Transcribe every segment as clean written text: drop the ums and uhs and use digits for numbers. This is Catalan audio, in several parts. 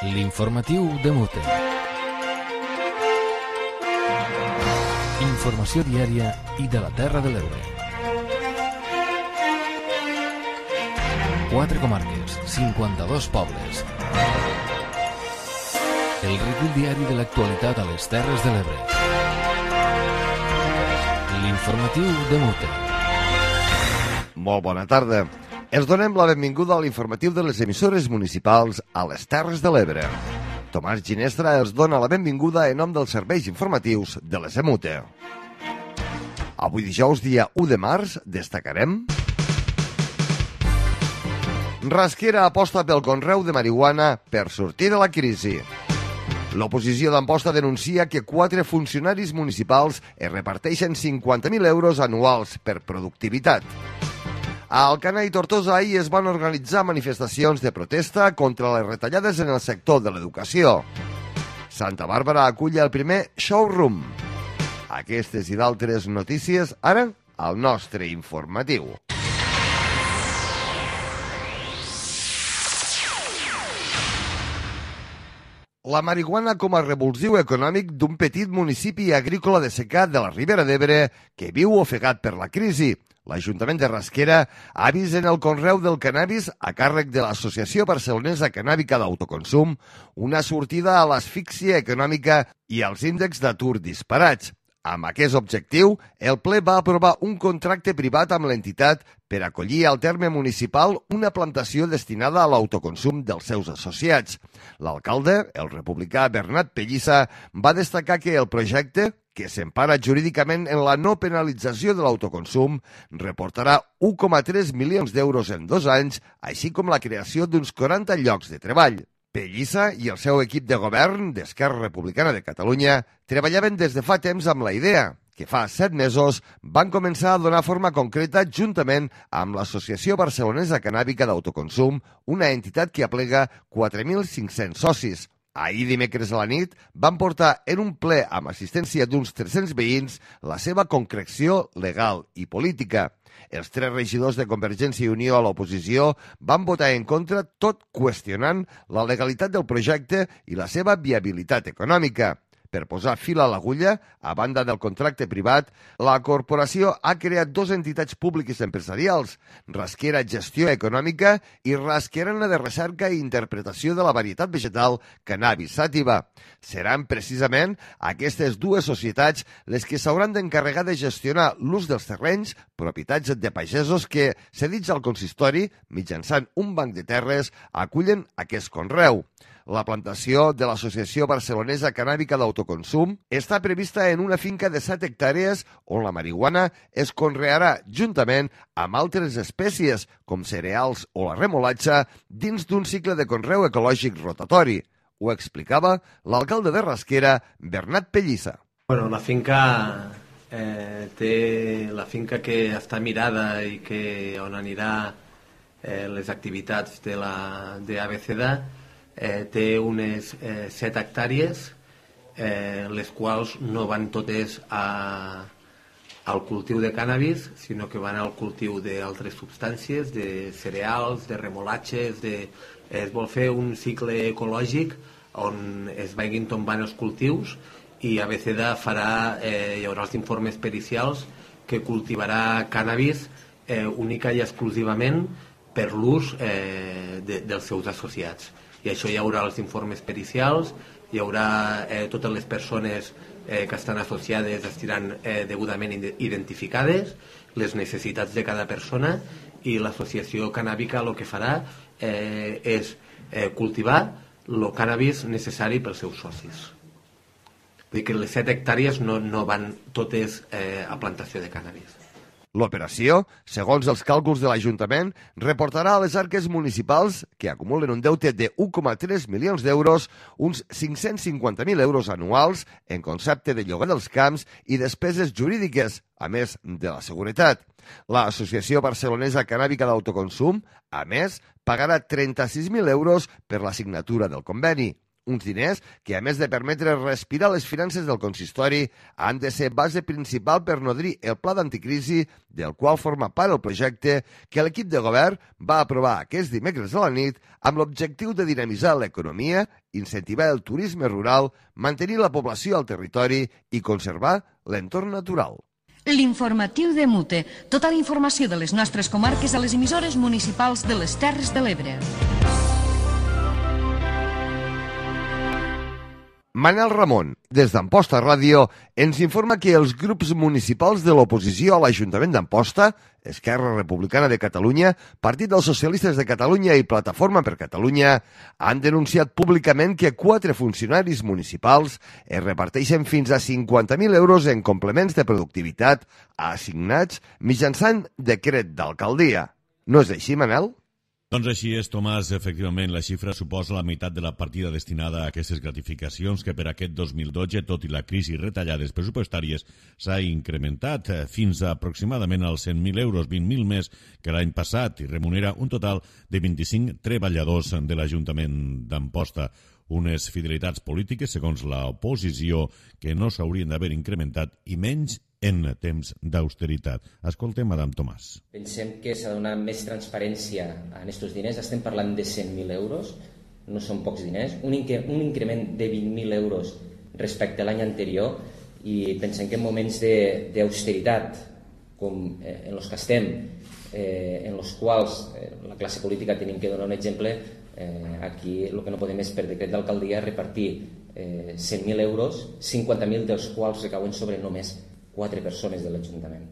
L'informatiu de Mute. Informació diària i de la Terra de l'Ebre. 4 comarques, 52 pobles. El recull diari de l'actualitat a les Terres de l'Ebre. L'informatiu de Mute. Molt bona tarda. Els donem la benvinguda a l'informatiu de les emissores municipals a les Terres de l'Ebre. Tomàs Ginestra els dona la benvinguda en nom dels serveis informatius de les EMUTE. Avui dijous, dia 1 de març, destacarem... Rasquera aposta pel conreu de marihuana per sortir de la crisi. L'oposició d'Amposta denuncia que 4 funcionaris municipals es reparteixen 50.000 euros anuals per productivitat. A Alcanar i Tortosa ahir es van organitzar manifestacions de protesta contra les retallades en el sector de l'educació. Santa Bàrbara acull el primer showroom. Aquestes i d'altres notícies ara al nostre informatiu. La marihuana com a revulsiu econòmic d'un petit municipi agrícola de secà de la Ribera d'Ebre que viu ofegat per la crisi. L'Ajuntament de Rasquera ha vist en el conreu del cannabis a càrrec de l'Associació Barcelonesa Cannàbica d'Autoconsum una sortida a l'asfíxia econòmica i als índexs d'atur disparats. Amb aquest objectiu, el ple va aprovar un contracte privat amb l'entitat per acollir al terme municipal una plantació destinada a l'autoconsum dels seus associats. L'alcalde, el republicà Bernat Pellissa, va destacar que el projecte, que s'empara jurídicament en la no penalització de l'autoconsum, reportarà 1,3 milions d'euros en 2 anys, així com la creació d'uns 40 llocs de treball. Pellissa i el seu equip de govern d'Esquerra Republicana de Catalunya treballaven des de fa temps amb la idea, que fa 7 mesos van començar a donar forma concreta juntament amb l'Associació Barcelonesa Cannàbica d'Autoconsum, una entitat que aplega 4.500 socis. Ahir dimecres a la nit van portar en un ple amb assistència d'uns 300 veïns la seva concreció legal i política. Els 3 regidors de Convergència i Unió a l'oposició van votar en contra, tot qüestionant la legalitat del projecte i la seva viabilitat econòmica. Per posar fil a l'agulla, a banda del contracte privat, la corporació ha creat 2 entitats públiques empresarials, Rasquera Gestió Econòmica i Rasquerana de Recerca i Interpretació de la Varietat Vegetal Cannabis Sativa. Seran precisament aquestes 2 societats les que s'hauran d'encarregar de gestionar l'ús dels terrenys, propietats de pagesos que, cedits al consistori, mitjançant un banc de terres, acullen aquest conreu. La plantació de l'Associació Barcelonesa Cannàbica d'Autoconsum està prevista en una finca de 7 hectàrees on la marihuana es conrearà juntament amb altres espècies com cereals o la remolatxa dins d'un cicle de conreu ecològic rotatori. Ho explicava l'alcalde de Rasquera, Bernat Pellissa. Bueno, la finca que està mirada i on anirà les activitats de ABCD té unes 7 hectàrees, les quals no van totes al cultiu de cànnabis, sinó que van al cultiu d'altres substàncies, de cereals, de remolatges, es vol fer un cicle ecològic on es vagin tombant els cultius i ABCD hi haurà els informes pericials que cultivarà cànnabis única i exclusivament per l'ús dels seus associats. I això hi haurà els informes pericials, hi haurà totes les persones que estan associades estiran degudament identificades, les necessitats de cada persona, i l'associació cannàbica el que farà és cultivar el cànnabis necessari pels seus socis. Vull dir que les 7 hectàrees no van totes a plantació de cànnabis. L'operació, segons els càlculs de l'Ajuntament, reportarà a les arques municipals, que acumulen un deute de 1,3 milions d'euros, uns 550.000 euros anuals en concepte de lloguer dels camps i despeses jurídiques, a més de la seguretat. L'Associació Barcelonesa Cannàbica d'Autoconsum, a més, pagarà 36.000 euros per la signatura del conveni. Uns diners que, a més de permetre respirar les finances del consistori, han de ser base principal per nodrir el pla d'anticrisi del qual forma part el projecte que l'equip de govern va aprovar aquest dimecres a la nit amb l'objectiu de dinamitzar l'economia, incentivar el turisme rural, mantenir la població al territori i conservar l'entorn natural. L'informatiu de Mute. Tota la informació de les nostres comarques a les emissores municipals de les Terres de l'Ebre. Manel Ramon, des d'Amposta Ràdio, ens informa que els grups municipals de l'oposició a l'Ajuntament d'Amposta, Esquerra Republicana de Catalunya, Partit dels Socialistes de Catalunya i Plataforma per Catalunya, han denunciat públicament que 4 funcionaris municipals es reparteixen fins a 50.000 euros en complements de productivitat assignats mitjançant decret d'alcaldia. No és així, Manel? Doncs així és, Tomàs. Efectivament, la xifra suposa la meitat de la partida destinada a aquestes gratificacions que per aquest 2012, tot i la crisi i retallades pressupostàries, s'ha incrementat fins a aproximadament als 100.000 euros, 20.000 més que l'any passat, i remunera un total de 25 treballadors de l'Ajuntament d'Amposta. Unes fidelitats polítiques, segons l'oposició, que no s'haurien d'haver incrementat i menys en temps d'austeritat. Escoltem Adam Tomàs. Pensem que s'ha de donar més transparència en aquests diners. Estem parlant de 100.000 euros, no són pocs diners. Un increment de 20.000 euros respecte a l'any anterior, i pensem que en moments d'austeritat, com en els que estem, en els quals la classe política tenim que donar un exemple, aquí el que no podem és per decret d'alcaldia repartir 100.000 euros, 50.000 dels quals recauen sobre només 4 persones de l'Ajuntament.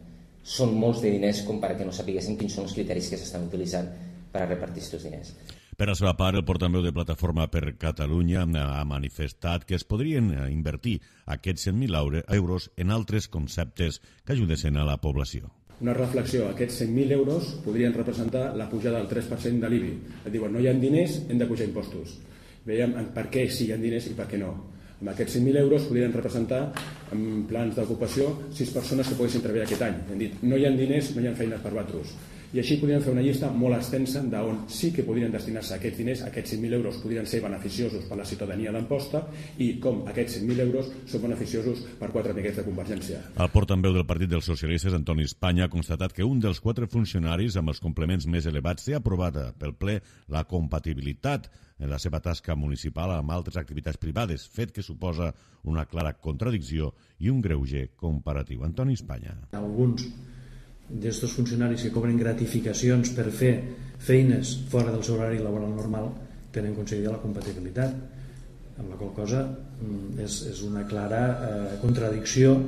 Són molts de diners com perquè no sapiguéssim quins són els criteris que s'estan utilitzant per a repartir aquests diners. Per la seva part, el portaveu de Plataforma per Catalunya ha manifestat que es podrien invertir aquests 100.000 euros en altres conceptes que ajudessin a la població. Una reflexió, aquests 100.000 euros podrien representar la pujada del 3% de l'IBI. Et diuen, no hi ha diners, hem de pujar impostos. Veiem per què sí hi ha diners i per què no. Amb aquests 100.000 euros podrien representar en plans d'ocupació 6 persones que poguessin treballar aquest any. Hem dit, no hi ha diners, no hi ha feines per vosaltres. I així podrien fer una llista molt extensa d'on sí que podrien destinar-se aquests diners, aquests 100.000 euros podrien ser beneficiosos per la ciutadania d'Amposta i com aquests 100.000 euros són beneficiosos per 4 amiguets de Convergència. El portaveu del Partit dels Socialistes, Antoni Espanya, ha constatat que un dels 4 funcionaris amb els complements més elevats té aprovada pel ple la compatibilitat en la seva tasca municipal amb altres activitats privades, fet que suposa una clara contradicció i un greuge comparatiu. Antoni Espanya. Alguns d'aquests funcionaris que cobren gratificacions per fer feines fora del seu horari laboral normal tenen concedida la compatibilitat, amb la qual cosa és una clara contradicció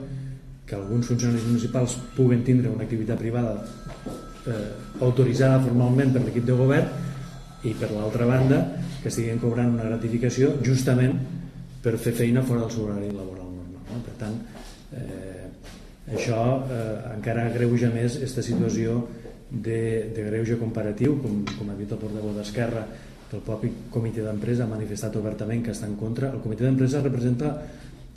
que alguns funcionaris municipals puguen tindre una activitat privada autoritzada formalment per l'equip de govern i per l'altra banda que estiguin cobrant una gratificació justament per fer feina fora del seu horari laboral normal. Per tant, això encara agreuja més aquesta situació de greuge comparatiu, com ha dit el portaveu d'Esquerra, que el propi comitè d'empresa ha manifestat obertament que està en contra. El comitè d'empresa representa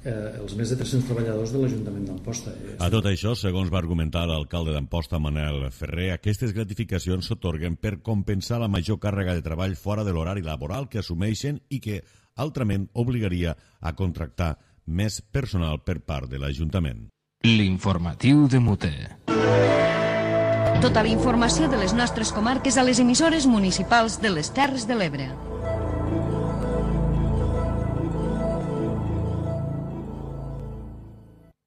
els més de 300 treballadors de l'Ajuntament d'Amposta. A tot això, segons va argumentar l'alcalde d'Amposta, Manel Ferrer, aquestes gratificacions s'atorguen per compensar la major càrrega de treball fora de l'horari laboral que assumeixen i que altrament obligaria a contractar més personal per part de l'Ajuntament. L'informatiu de Mute. Tota la informació de les nostres comarques a les emissores municipals de les Terres de l'Ebre.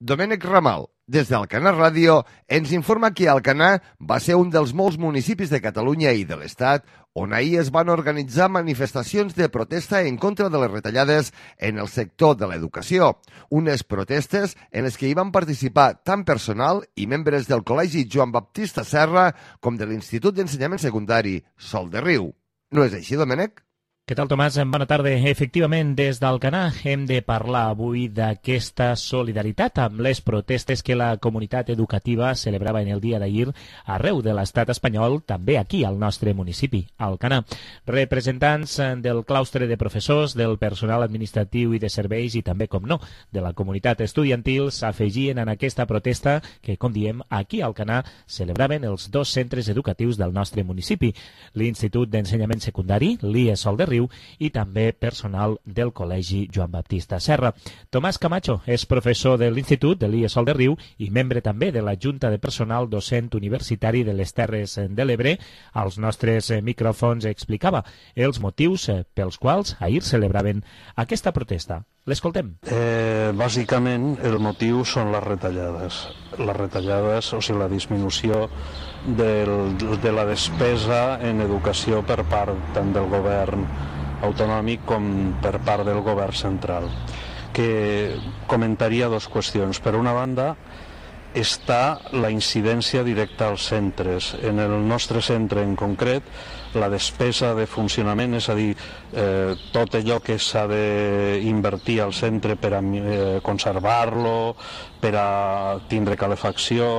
Domènec Ramal, des d'Alcanar Ràdio, ens informa que Alcanar va ser un dels molts municipis de Catalunya i de l'Estat on ahir es van organitzar manifestacions de protesta en contra de les retallades en el sector de l'educació. Unes protestes en les que hi van participar tant personal i membres del Col·legi Joan Baptista Serra com de l'Institut d'Ensenyament Secundari Sol de Riu. No és així, Domènec? Què tal, Tomàs? Bona tarda. Efectivament, des d'Alcanar hem de parlar avui d'aquesta solidaritat amb les protestes que la comunitat educativa celebrava en el dia d'ahir arreu de l'estat espanyol, també aquí al nostre municipi, Alcanar. Representants del claustre de professors, del personal administratiu i de serveis i també, com no, de la comunitat estudiantil s'afegien en aquesta protesta que, com diem, aquí a Alcanar celebraven els 2 centres educatius del nostre municipi, l'Institut d'Ensenyament Secundari, l'IE Sol de Riu, Riu i també personal del Col·legi Joan Baptista Serra. Tomàs Camacho és professor de l'Institut de l'IESOL de Riu i membre també de la Junta de Personal Docent Universitari de les Terres de l'Ebre. Als nostres micròfons explicava els motius pels quals ahir celebraven aquesta protesta. L'escoltem. Bàsicament, el motiu són les retallades. Les retallades, o sigui, la disminució de la despesa en educació per part tant del govern autonòmic com per part del govern central. Que comentaria dues qüestions. Per una banda, està la incidència directa als centres. En el nostre centre en concret, la despesa de funcionament, és a dir, tot allò que s'ha d'invertir al centre per a conservar-lo, per a tindre calefacció,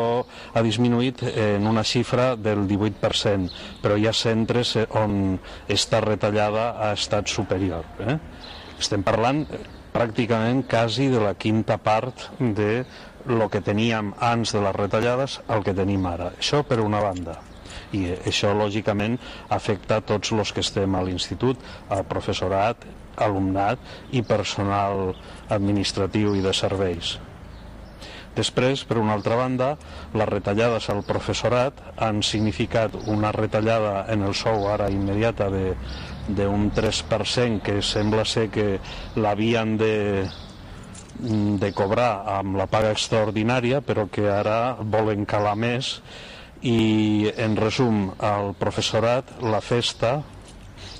ha disminuït en una xifra del 18%, però hi ha centres on esta retallada ha estat superior. Estem parlant pràcticament quasi de la quinta part de el que teníem abans de les retallades al que tenim ara. Això per una banda. I això, lògicament, afecta a tots els que estem a l'institut, al professorat, alumnat i personal administratiu i de serveis. Després, per una altra banda, les retallades al professorat han significat una retallada en el sou ara immediata d'un 3% que sembla ser que l'havien de cobrar amb la paga extraordinària, però que ara volen calar més. I, en resum, al professorat, la festa,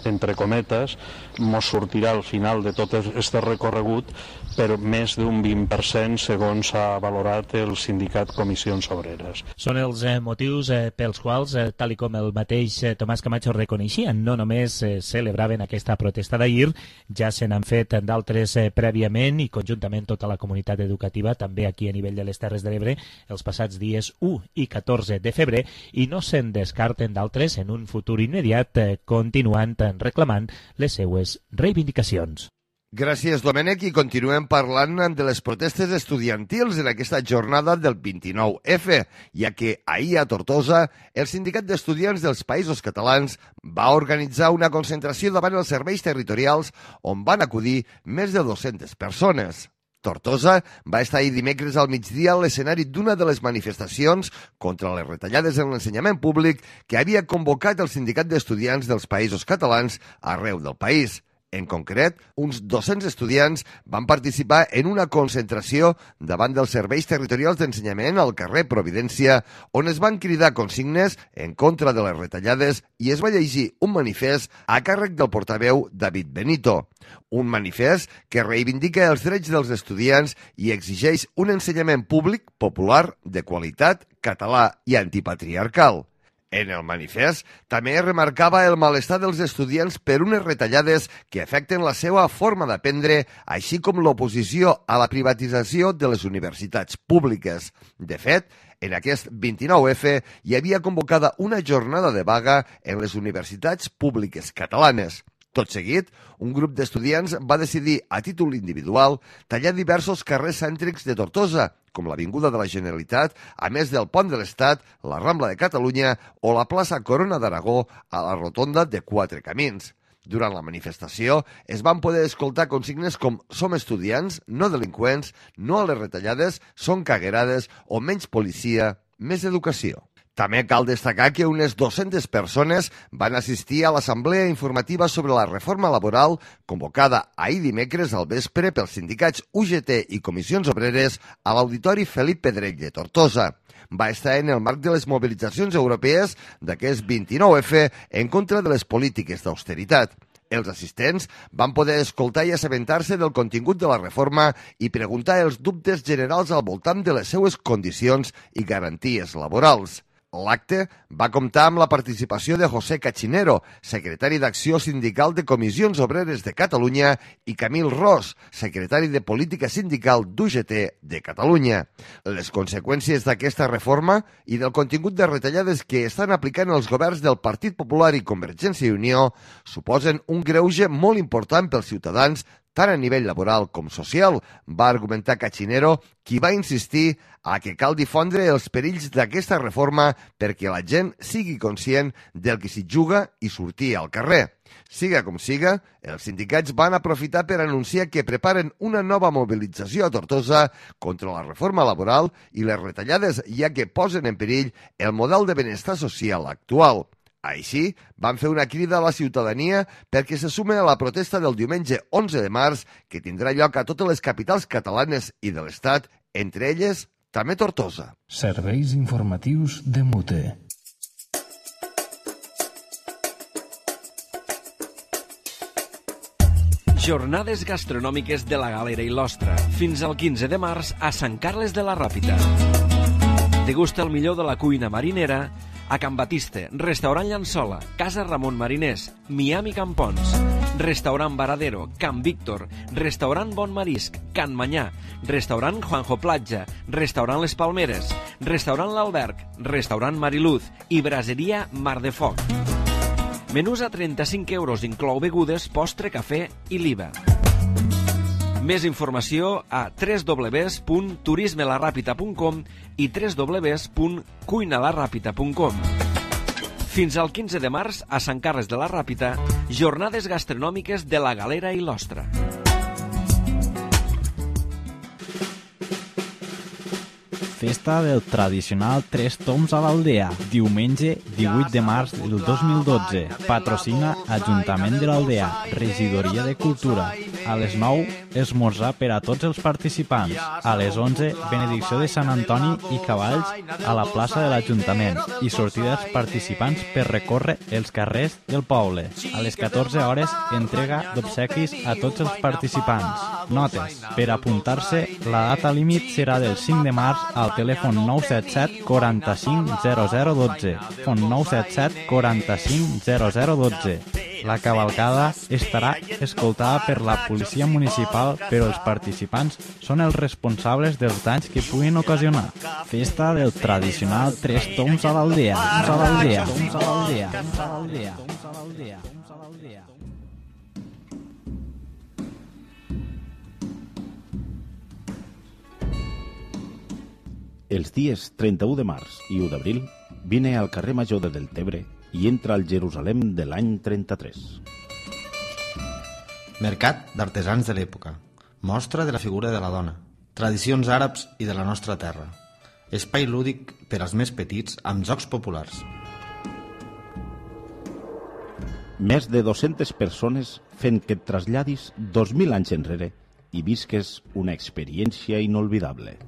entre cometes, mos sortirà al final de tot aquest recorregut per més d'un 20% segons ha valorat el sindicat Comissions Obreres. Són els motius pels quals, tal i com el mateix Tomàs Camacho reconeixia, no només celebraven aquesta protesta d'ahir, ja se n'han fet d'altres prèviament i conjuntament tota la comunitat educativa, també aquí a nivell de les Terres de l'Ebre, els passats dies 1 i 14 de febrer, i no se'n descarten d'altres en un futur immediat, continuant reclamant les seues reivindicacions. Gràcies, Domènec, i continuem parlant de les protestes estudiantils en aquesta jornada del 29F, ja que ahir a Tortosa el Sindicat d'Estudiants dels Països Catalans va organitzar una concentració davant els serveis territorials on van acudir més de 200 persones. Tortosa va estar ahir dimecres al migdia a l'escenari d'una de les manifestacions contra les retallades en l'ensenyament públic que havia convocat el Sindicat d'Estudiants dels Països Catalans arreu del país. En concret, uns 200 estudiants van participar en una concentració davant dels serveis territorials d'ensenyament al carrer Providència, on es van cridar consignes en contra de les retallades i es va llegir un manifest a càrrec del portaveu David Benito. Un manifest que reivindica els drets dels estudiants i exigeix un ensenyament públic, popular, de qualitat, català i antipatriarcal. En el manifest també es remarcava el malestar dels estudiants per unes retallades que afecten la seva forma d'aprendre, així com l'oposició a la privatització de les universitats públiques. De fet, en aquest 29F hi havia convocada una jornada de vaga en les universitats públiques catalanes. Tot seguit, un grup d'estudiants va decidir, a títol individual, tallar diversos carrers cèntrics de Tortosa, com l'Avinguda de la Generalitat, a més del Pont de l'Estat, la Rambla de Catalunya o la plaça Corona d'Aragó a la rotonda de Quatre Camins. Durant la manifestació es van poder escoltar consignes com «Som estudiants, no delinqüents», «No a les retallades», «Són caguerades» o «Menys policia, més educació». També cal destacar que unes 200 persones van assistir a l'assemblea informativa sobre la reforma laboral convocada ahir dimecres al vespre pels sindicats UGT i Comissions Obreres a l'Auditori Felip Pedrell de Tortosa. Va estar en el marc de les mobilitzacions europees d'aquest 29F en contra de les polítiques d'austeritat. Els assistents van poder escoltar i assabentar-se del contingut de la reforma i preguntar els dubtes generals al voltant de les seues condicions i garanties laborals. L'acte va comptar amb la participació de José Cachinero, secretari d'Acció Sindical de Comissions Obreres de Catalunya, i Camil Ros, secretari de Política Sindical d'UGT de Catalunya. Les conseqüències d'aquesta reforma i del contingut de retallades que estan aplicant els governs del Partit Popular i Convergència i Unió suposen un greuge molt important pels ciutadans tant a nivell laboral com social, va argumentar Cachinero, qui va insistir a que cal difondre els perills d'aquesta reforma perquè la gent sigui conscient del que s'hi juga i sortir al carrer. Siga com siga, els sindicats van aprofitar per anunciar que preparen una nova mobilització a Tortosa contra la reforma laboral i les retallades, ja que posen en perill el model de benestar social actual. Així, van fer una crida a la ciutadania perquè se sume a la protesta del diumenge 11 de març que tindrà lloc a totes les capitals catalanes i de l'Estat, entre elles també Tortosa. Serveis informatius de Mute. Jornades gastronòmiques de la Galera i l'Ostra, fins al 15 de març a Sant Carles de la Ràpita. Degusta el millor de la cuina marinera a Can Batiste, Restaurant Llançola, Casa Ramon Mariners, Miami Campons, Restaurant Varadero, Can Víctor, Restaurant Bon Marisc, Can Manyà, Restaurant Juanjo Platja, Restaurant Les Palmeres, Restaurant L'Alberg, Restaurant Mariluz i Braseria Mar de Foc. Menús a 35 euros, inclou begudes, postre, cafè i l'IVA. Més informació a www.turismelarrapita.com i www.cuinalarrapita.com. Fins al 15 de març, a Sant Carles de la Ràpita, jornades gastronòmiques de la Galera i l'Ostra. Festa del tradicional Tres Toms a l'Aldea, diumenge 18 de març del 2012. Patrocina Ajuntament de l'Aldea, Regidoria de Cultura. A les 9, esmorzar per a tots els participants. A les 11, benedicció de Sant Antoni i cavalls a la plaça de l'Ajuntament i sortida dels participants per recórrer els carrers del poble. A les 14 hores, entrega d'obsequis a tots els participants. Notes. Per apuntar-se, la data límit serà del 5 de març al telèfon 977 45 0012. Telèfon 977 45 0012. La cavalcada estarà escoltada per la policia municipal, però els participants són els responsables dels danys que puguin ocasionar. Festa del tradicional Tres Toms a l'Aldea. Els dies 31 de març i 1 d'abril vine al carrer Major de Deltebre i entra al Jerusalem de l'any 33. Mercat d'artesans de l'època. Mostra de la figura de la dona. Tradicions àrabs i de la nostra terra. Espai lúdic per als més petits amb jocs populars. Més de 200 persones fent que et traslladis 2.000 anys enrere i visques una experiència inolvidable.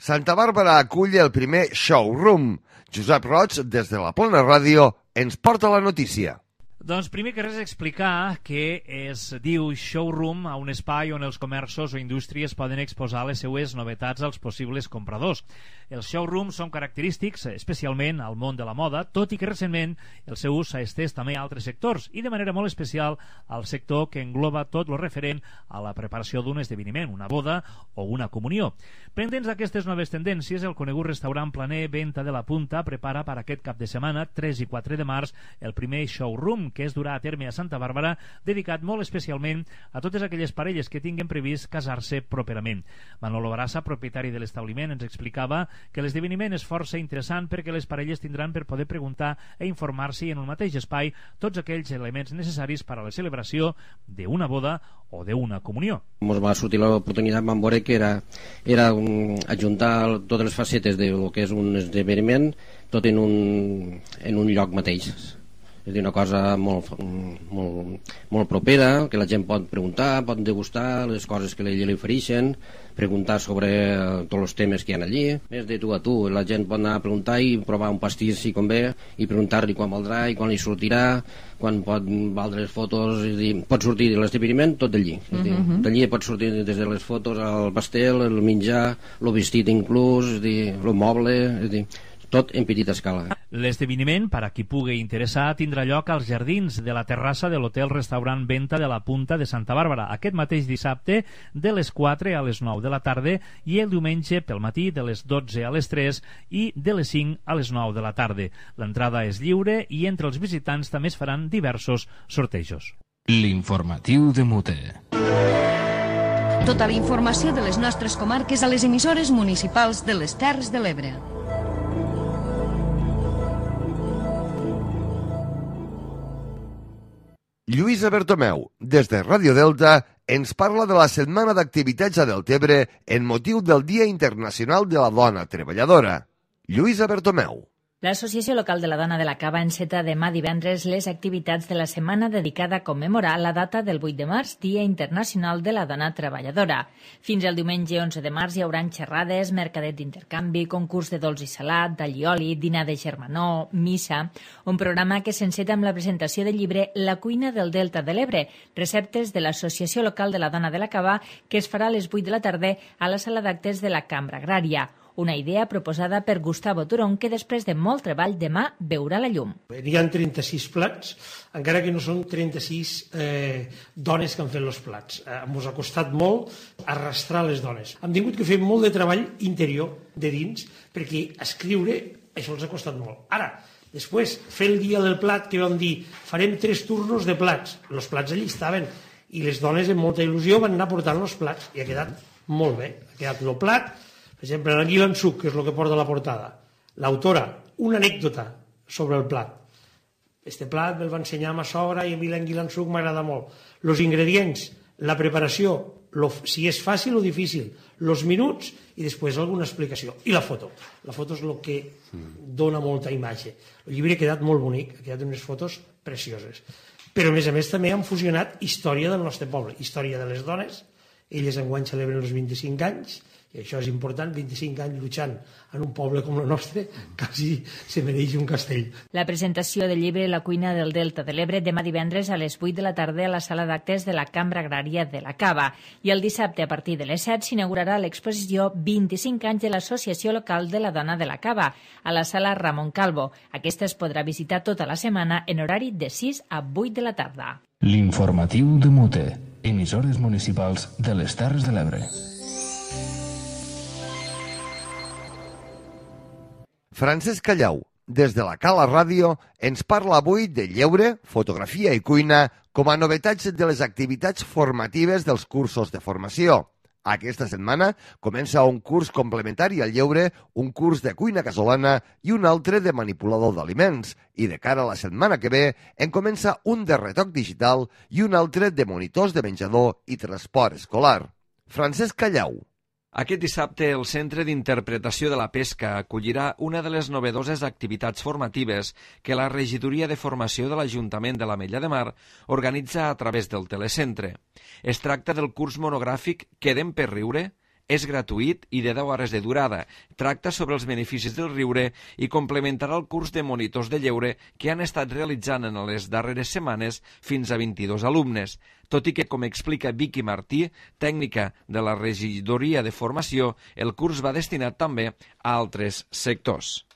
Santa Bàrbara acull el primer showroom. Josep Roig, des de la Plana Ràdio, ens porta la notícia. Doncs primer que res explicar que es diu showroom a un espai on els comerços o indústries poden exposar les seues novetats als possibles compradors. Els showrooms són característics especialment al món de la moda, tot i que recentment el seu ús s'ha estès també a altres sectors i de manera molt especial al sector que engloba tot el referent a la preparació d'un esdeveniment, una boda o una comunió. Pendents d'aquestes noves tendències, el conegut restaurant planer Venta de la Punta prepara per aquest cap de setmana, 3 i 4 de març, el primer showroom que es durà a terme a Santa Bàrbara, dedicat molt especialment a totes aquelles parelles que tinguin previst casar-se properament. Manolo Barassa, propietari de l'establiment, ens explicava que l'esdeveniment és força interessant perquè les parelles tindran per poder preguntar i informar-s'hi en un mateix espai tots aquells elements necessaris per a la celebració d'una boda o d'una comunió. Ens va sortir l'oportunitat, vam veure que era ajuntar totes les facetes del que és un esdeveniment tot en un lloc mateix. És una cosa molt propera, que la gent pot preguntar, pot degustar les coses que li ofereixen, preguntar sobre tots els temes que hi ha allí. Més de tu a tu, la gent pot anar a preguntar i provar un pastís si convé i preguntar-li quan valdrà i quan li sortirà, quan pot valdre les fotos, és dir, pot sortir de l'esdeveniment tot d'allí. D'allí pot sortir des de les fotos al pastel, el menjar, el vestit inclús, el moble, és dir, tot en petita escala. L'esdeveniment, per a qui pugui interessar, tindrà lloc als jardins de la terrassa de l'hotel-restaurant Venta de la Punta de Santa Bàrbara, aquest mateix dissabte de les 4 a les 9 de la tarda i el diumenge pel matí de les 12 a les 3 i de les 5 a les 9 de la tarda. L'entrada és lliure i entre els visitants també es faran diversos sortejos. L'informatiu de Mute. Tota la informació de les nostres comarques a les emissores municipals de les Terres de l'Ebre. Lluïsa Bertomeu, des de Ràdio Delta, ens parla de la Setmana d'Activitats a Deltebre en motiu del Dia Internacional de la Dona Treballadora. Lluïsa Bertomeu. L'Associació Local de la Dona de la Cava enceta demà divendres les activitats de la setmana dedicada a commemorar la data del 8 de març, Dia Internacional de la Dona Treballadora. Fins al diumenge 11 de març hi haurà xerrades, mercadet d'intercanvi, concurs de dolç i salat, d'allioli, dinar de germanor, missa, un programa que s'enceta amb la presentació del llibre La cuina del Delta de l'Ebre, receptes de l'Associació Local de la Dona de la Cava, que es farà a les 8 de la tarda a la sala d'actes de la Cambra Agrària. Una idea proposada per Gustavo Turón, que després de molt treball demà veurà la llum. Hi ha 36 plats, encara que no són 36 dones que han fet els plats. Ens ha costat molt arrastrar les dones. Hem tingut que fer molt de treball interior, de dins, perquè escriure això els ha costat molt. Ara, després, fer el dia del plat, que vam dir, farem 3 turnos de plats. Els plats allí estaven, i les dones amb molta il·lusió van anar portant els plats, i ha quedat molt bé. Ha quedat el plat. Per exemple, l'Anguila en suc, que és el que porta la portada. L'autora, una anècdota sobre el plat. Este plat me'l va ensenyar ma sogra i a mi l'anguila en suc m'agrada molt. Els ingredients, la preparació, si és fàcil o difícil, els minuts i després alguna explicació. I la foto. La foto és el que dona molta imatge. El llibre ha quedat molt bonic, ha quedat unes fotos precioses. Però, a més, també han fusionat història del nostre poble, història de les dones. Elles enguany celebren els 25 anys, i això és important, 25 anys lluitant en un poble com el nostre, quasi se mereix un castell. La presentació del llibre La cuina del Delta de l'Ebre demà divendres a les 8 de la tarda a la sala d'actes de la Cambra Agrària de la Cava. I el dissabte a partir de les 7 s'inaugurarà l'exposició 25 anys de l'Associació Local de la Dona de la Cava a la sala Ramon Calvo. Aquesta es podrà visitar tota la setmana en horari de 6 a 8 de la tarda. L'informatiu de Mute, emissores municipals de les Terres de l'Ebre. Francesc Callau, des de la Cala Ràdio, ens parla avui de lleure, fotografia i cuina com a novetats de les activitats formatives dels cursos de formació. Aquesta setmana comença un curs complementari al lleure, un curs de cuina casolana i un altre de manipulador d'aliments. I de cara a la setmana que ve en comença un de retoc digital i un altre de monitors de menjador i transport escolar. Francesc Callau. Aquest dissabte, el Centre d'Interpretació de la Pesca acollirà una de les novedoses activitats formatives que la Regidoria de Formació de l'Ajuntament de l'Ametlla de Mar organitza a través del Telecentre. Es tracta del curs monogràfic Quedem per riure? És gratuït i de 10 hores de durada. Tracta sobre els beneficis del riure i complementarà el curs de monitors de lleure que han estat realitzant en les darreres setmanes fins a 22 alumnes. Tot i que, com explica Vicky Martí, tècnica de la Regidoria de Formació, el curs va destinat també a altres sectors.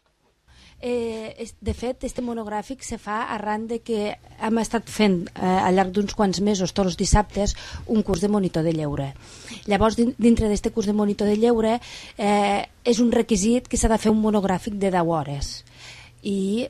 De fet, este monogràfic se fa arran de que hem estat fent al llarg d'uns quants mesos, tots els dissabtes, un curs de monitor de lleure. Llavors, dintre d'aquest curs de monitor de lleure, és un requisit que s'ha de fer un monogràfic de 10 hores. I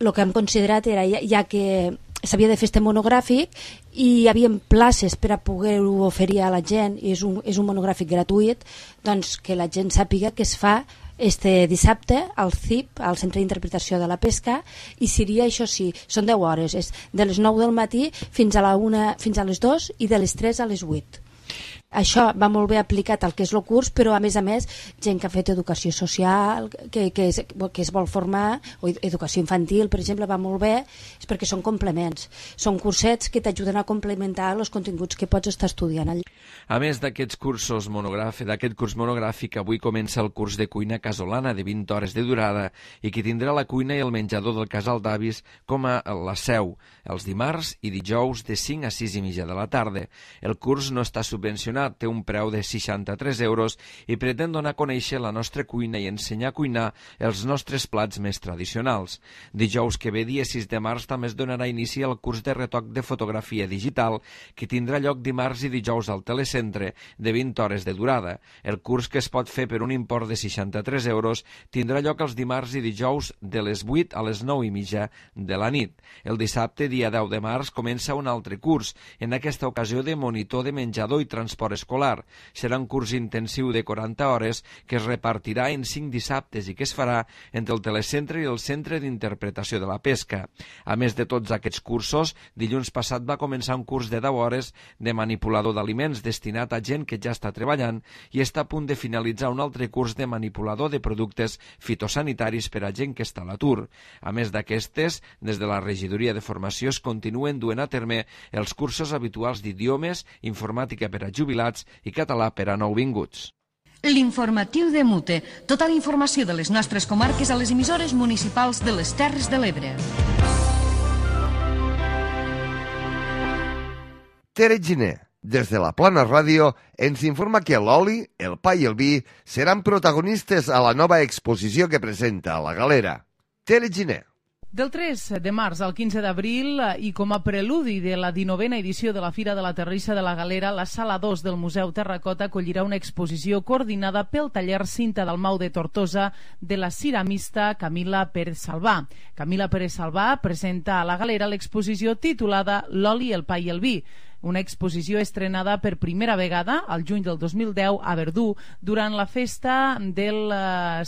el que hem considerat era, ja que s'havia de fer este monogràfic i hi havia places per a poder-ho oferir a la gent, i és un monogràfic gratuït, doncs que la gent sàpiga que es fa este dissabte al CIP, al Centre d'Interpretació de la Pesca, i seria, això sí, són 10 hores, és de les 9 del matí fins a les 2 i de les 3 a les 8. Això va molt bé aplicat al que és el curs, però a més, gent que ha fet educació social, que es vol formar, o educació infantil, per exemple, va molt bé, és perquè són complements. Són cursets que t'ajuden a complementar els continguts que pots estar estudiant allà. A més d'aquest curs monogràfic, avui comença el curs de cuina casolana de 20 hores de durada i que tindrà la cuina i el menjador del casal d'avis com a la seu, els dimarts i dijous de 5 a 6 i mitja de la tarda. El curs no està subvencionat, cuinar té un preu de 63 euros i pretén donar a conèixer la nostra cuina i ensenyar a cuinar els nostres plats més tradicionals. Dijous que ve, dia 6 de març, també es donarà inici al curs de retoc de fotografia digital que tindrà lloc dimarts i dijous al Telecentre de 20 hores de durada. El curs, que es pot fer per un import de 63 euros, tindrà lloc els dimarts i dijous de les 8 a les 9:30 de la nit. El dissabte, dia 10 de març, comença un altre curs, en aquesta ocasió de monitor de menjador i transport escolar. Serà un curs intensiu de 40 hores que es repartirà en 5 dissabtes i que es farà entre el Telecentre i el Centre d'Interpretació de la Pesca. A més de tots aquests cursos, dilluns passat va començar un curs de 10 hores de manipulador d'aliments destinat a gent que ja està treballant i està a punt de finalitzar un altre curs de manipulador de productes fitosanitaris per a gent que està a l'atur. A més d'aquestes, des de la Regidoria de Formació es continuen duent a terme els cursos habituals d'idiomes, informàtica per a jubilats i català per a nouvinguts. L'informatiu de Mute. Tota la informació de les nostres comarques a les emissores municipals de les Terres de l'Ebre. Tere Giner, des de la Plana Ràdio, ens informa que l'oli, el pa i el vi seran protagonistes a la nova exposició que presenta la Galera. Tere Giner. Del 3 de març al 15 d'abril i com a preludi de la 19a edició de la Fira de la Terrissa de la Galera, la Sala 2 del Museu Terracota acollirà una exposició coordinada pel taller Cinta Dalmau de Tortosa de la ceramista Camila Pérez Salvà. Camila Pérez Salvà presenta a la Galera l'exposició titulada L'oli, el pa i el vi, una exposició estrenada per primera vegada al juny del 2010 a Verdú durant la festa del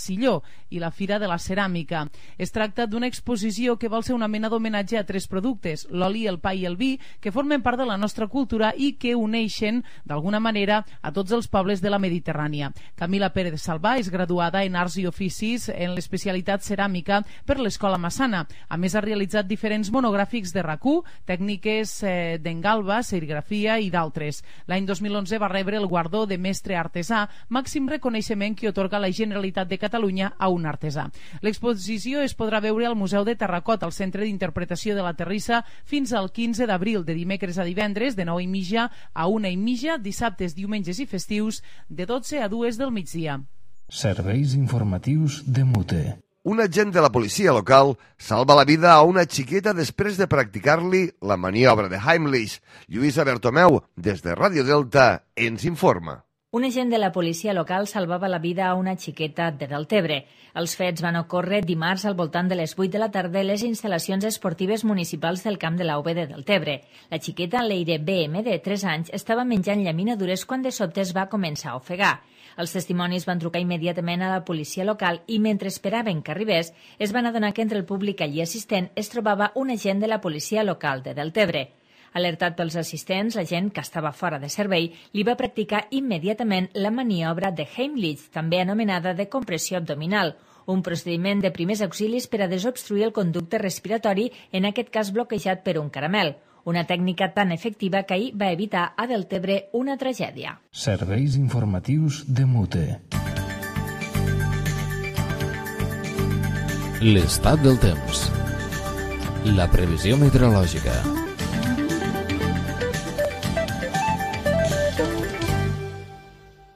Silló i la Fira de la Ceràmica. Es tracta d'una exposició que vol ser una mena d'homenatge a 3 productes, l'oli, el pa i el vi, que formen part de la nostra cultura i que uneixen d'alguna manera a tots els pobles de la Mediterrània. Camila Pérez Salvà és graduada en Arts i Oficis en l'especialitat ceràmica per l'Escola Massana. A més, ha realitzat diferents monogràfics de RAC1, tècniques d'engalba, serigrafia i d'altres. L'any 2011 va rebre el guardó de mestre artesà, màxim reconeixement que atorga la Generalitat de Catalunya a un artesà. L'exposició es podrà veure al Museu de Terracota, al Centre d'Interpretació de la Terrissa, fins al 15 d'abril, de dimecres a divendres, de 9:30 a 1:30, dissabtes, diumenges i festius, de 12 a 2 del migdia. Serveis informatius de Mute. Un agent de la policia local salva la vida a una xiqueta després de practicar-li la maniobra de Heimlich. Lluïsa Bertomeu, des de Ràdio Delta, ens informa. Un agent de la policia local salvava la vida a una xiqueta de Deltebre. Els fets van ocórrer dimarts al voltant de les 8 de la tarda a les instal·lacions esportives municipals del camp de la UB de Deltebre. La xiqueta Leire BM, de 3 anys, estava menjant llaminadures quan de sobte es va començar a ofegar. Els testimonis van trucar immediatament a la policia local i mentre esperaven que arribés es van adonar que entre el públic allí assistent es trobava un agent de la policia local de Deltebre. Alertat pels assistents, l'agent, que estava fora de servei, li va practicar immediatament la maniobra de Heimlich, també anomenada de compressió abdominal, un procediment de primers auxilis per a desobstruir el conducte respiratori, en aquest cas bloquejat per un caramel. Una tècnica tan efectiva que ahir va evitar a Deltebre una tragèdia. Serveis informatius de Mute. L'estat del temps. La previsió meteorològica.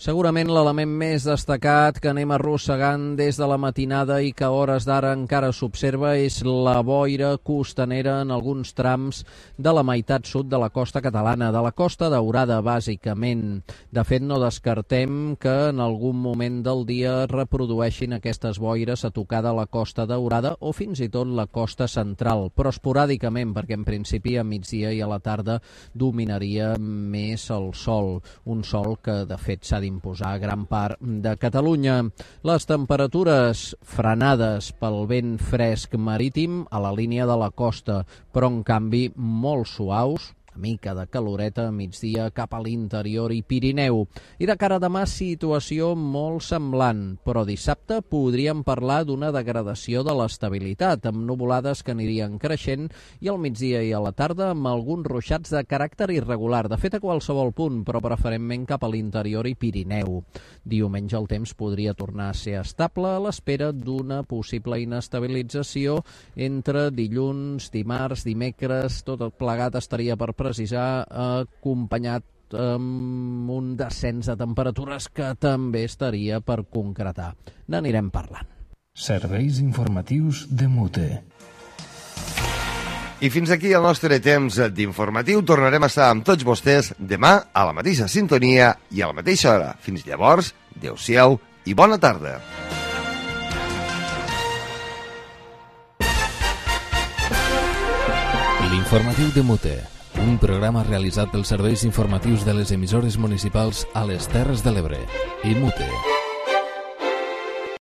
Segurament l'element més destacat que anem arrossegant des de la matinada i que a hores d'ara encara s'observa és la boira costanera en alguns trams de la meitat sud de la costa catalana, de la Costa Daurada, bàsicament. De fet, no descartem que en algun moment del dia reprodueixin aquestes boires a tocar de la Costa Daurada o fins i tot la costa central, però esporàdicament, perquè en principi a migdia i a la tarda dominaria més el sol, un sol que de fet s'ha d'imposar a gran part de Catalunya. Les temperatures frenades pel vent fresc marítim a la línia de la costa, però en canvi molt suaus, una mica de caloreta a migdia cap a l'interior i Pirineu. I de cara a demà, situació molt semblant, però dissabte podríem parlar d'una degradació de l'estabilitat, amb nuvolades que anirien creixent i al migdia i a la tarda amb alguns ruixats de caràcter irregular, de fet a qualsevol punt, però preferentment cap a l'interior i Pirineu. Diumenge el temps podria tornar a ser estable a l'espera d'una possible inestabilització entre dilluns, dimarts, dimecres, tot plegat estaria per precisar acompanyat sud, amb un descens de temperatures que també estaria per concretar. N'anirem parlant. Serveis informatius de Mute. I fins aquí el nostre temps d'informatiu. Tornarem a estar amb tots vostès demà a la mateixa sintonia i a la mateixa hora. Fins llavors, adéu-siau i bona tarda. L'informatiu de Mute, un programa realitzat pels serveis informatius de les emissores municipals a les Terres de l'Ebre i Mute.